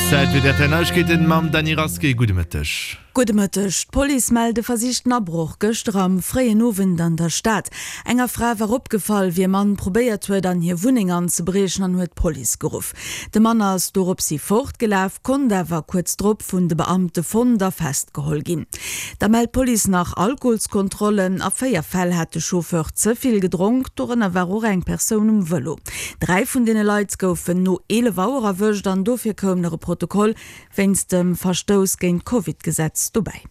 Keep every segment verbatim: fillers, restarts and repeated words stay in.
Zäit fir d'R T L Neiegkeeten mam Dany Rasqué. Gudde Mëtteg. Gudde Mëtteg. D'Police mellt e versichten Abroch gëschter am fréien Owend an der Stad. Enger Fra war opgefall, wéi e Mann probéiert huet, an hir Wunneng anzebriechen an huet d'Police geruff. De Mann ass doropshi fortgelaf, konnt awer kuerz drop vun de Beamte fonnt a festgeholl ginn. Da mellt d'Police nach Alkoholskontrollen. A véier Fäll hat de Chauffeur ze vill gedronk, dorënner war och eng Persoun um Vëlo. Dräi vun deene Leit goufen no eelef Auer erwëscht an dofir koum nach e Protokoll wéinst dem Verstouss géint d'Covid-Gesetz dobäi.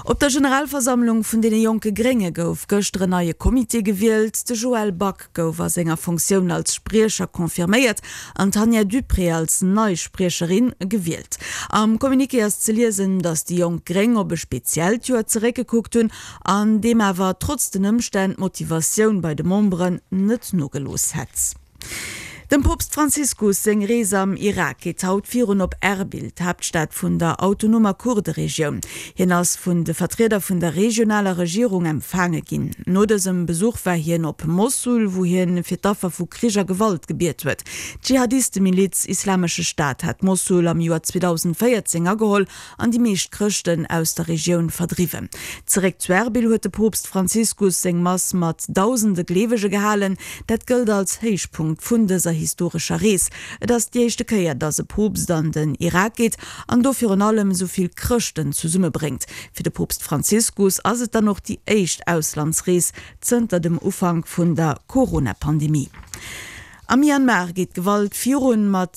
Op der Generalversammlung vun deene jonke Grénge gouf gëschter en neie Comité gewielt. De Joël Back gouf a senger Funktioun als Spriecher confirméiert an d'Tanja Duprez als nei Spriecherin gewielt. Am Communiqué ass ze liesen, datt déi jonk Gréng op e speziellt Joer zeréckgekuckt hunn, an deem awer trotz den Ëmstänn d'Motivatioun bei de Memberen net nogelooss hätt. Dem Poopst Franziskus seng Rees am Irak geet haut virun op Erbil, d'Haaptstad vun der autonomer Kurderegioun. Hien ass vun de Vertrieder vun der regionaler Regierung empfaange ginn. No dësem Besuch war hien op Mossul, wou hien fir d'Affer vu Krich a Gewalt gebiet huet. D'Dschihadistemiliz Islamesche Staat hat Mossul am Joer zweedausendvéierzéng ageholl an déi meescht Chrëschten aus der Regioun verdriwwen. Zeréck zu Erbil huet de Poopst Franziskus seng Mass mat dausende Gleewege gehalen. Dat gëllt als Héichpunkt vun dëser historescher Rees. Et ass déi éischte Kéier, datt e Poopst an den Irak geet an do virun allem esou vill Chrëschten zesummebréngt. Fir de Poopst Franziskus ass et dann och déi éischt Auslandsrees zënter dem Ufank vun der Corona-Pandemie. Am Myanmar geet d'Gewalt virun mat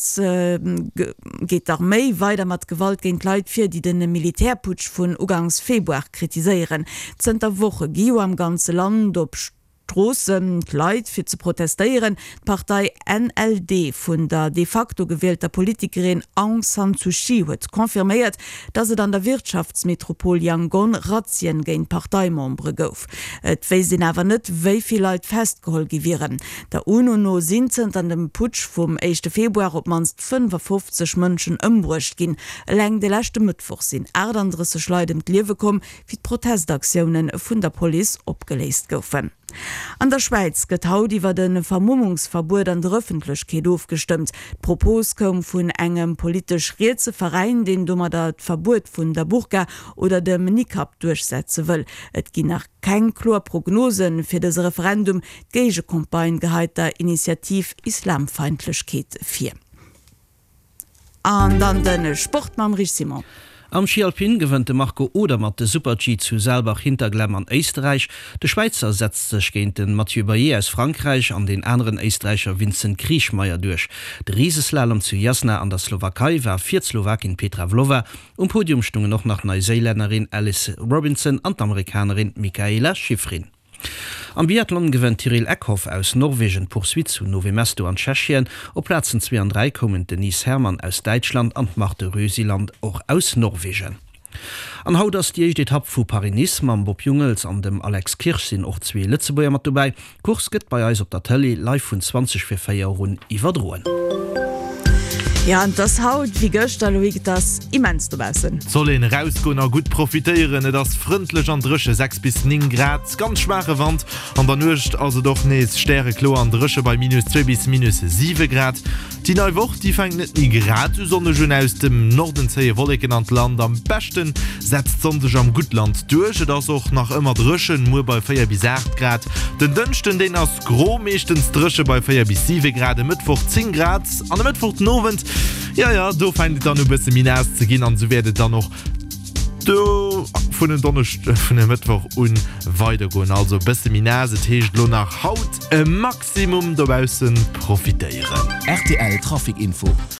geet d'Arméi weider mat Gewalt géint Leit vir, déi de Militärputsch vun ugangs Februar kritiséieren. Zënter Woche gi jo am ganze Land op Stroossen d'Leit fir ze protestéieren. D'Partei N L D vun der de facto gewielter Politikerin Aung San Suu Kyi huet confirméiert, datt et an der Wirtschaftsmetropol Yangon Razzien géint Parteimembere gouf. Et wéisst een awer net, wéi vill Leit festgeholl gi wieren. Der UNO no sinn zënter dem Putsch vum éischte Februar op d'mannst fënnefafofzeg Mënschen ëmbruecht ginn. Eleng de leschte Mëttwoch sinn aachtanddrësseg Leit ëm d'Liewe komm, wéi d'Protestaktioune vun der Police opgeléist goufen. An der Schwäiz gëtt haut iwwer e Vermummungsverbuet an der Ëffentlechkeet ofgestëmmt. D'Propos koum vun engem politesch rietse Veräin, deen domadder d'Verbuet vun der Burka oder dem Nikab duerchsetze wëll. Et ginn nach keng kloer Prognose fir dëse Referendum. D'Géigecampagne geheit der Initiativ Islamfeindlechkeet vir. An dann de Sport mam Rich Simon. Am Schi Alpin gewënnt de Marco Odermatt de Super-G zu Saalbach-Hinterglemm an Éisterräich. De Schwäizer setzt sech géint de Mathieu Baillet aus Frankräich an den aneren Éisträicher Vincent Kriechmayr duerch. De Riseslalom zu Jasna an der Slowakei war fir d'Slowakin Petra Vlhova. Um Podium stungen och nach d'Neiséilännerin Alice Robinson an d'Amerikanerin Mikaela Shiffrin. Am Biathlon gewënnt Tiril Eckhoff aus Norwegen d'Poursuite zu Nové Mesto an Tschechien. Op Plazen zwee an dräi koumen d'Denise Herrmann aus Däitschland an d'Marte Rösiland och aus Norwegen. An haut ass déi éischt Etapp vu Paris-Nice. Mam Bob Jungels an dem Alex Kirsch sinn och zwee Lëtzebuerger mat dobäi. D'Course gëtt bei eis op der Tëlee live vun zwanzeg vir véier un iwwerdroen. Jo, an et ass haut wéi gëschter, Loïc, et ass immens dobaussen. Et soll een erausgoen a gutt profitéieren. Et ass frëndlech an dréche, sechs bis néng Grad, ganz schwaache Wand. An der Nuecht ass et och nees stärekloer an dréche bei minus zwee bis minus siwe Grad. Déi nei Woch, déi fänkt net méi grad esou sonneg un. Aus dem Norden zéie Wolleken an d'Land. Am beschte setzt d'Sonn sech am Guttland duerch. Et ass och nach ëmmer dréchen, muer bei véier bis aacht Grad. Den Dënschden, deen ass gro, meeschtens dréche bei véier bis siwe Grad, e Mëttwoch zéng Grad an e Mëttwoch den Owend, jo jo, do fänkt et dann u bësse méi naass ze ginn an esou wäert et dann och do vun en Donneschd-, vun e Mëttwoch un weidergoen. Also e bësse méi naass, et heescht elo nach haut e Maximum dobausse profitéieren. R T L Trafic Info.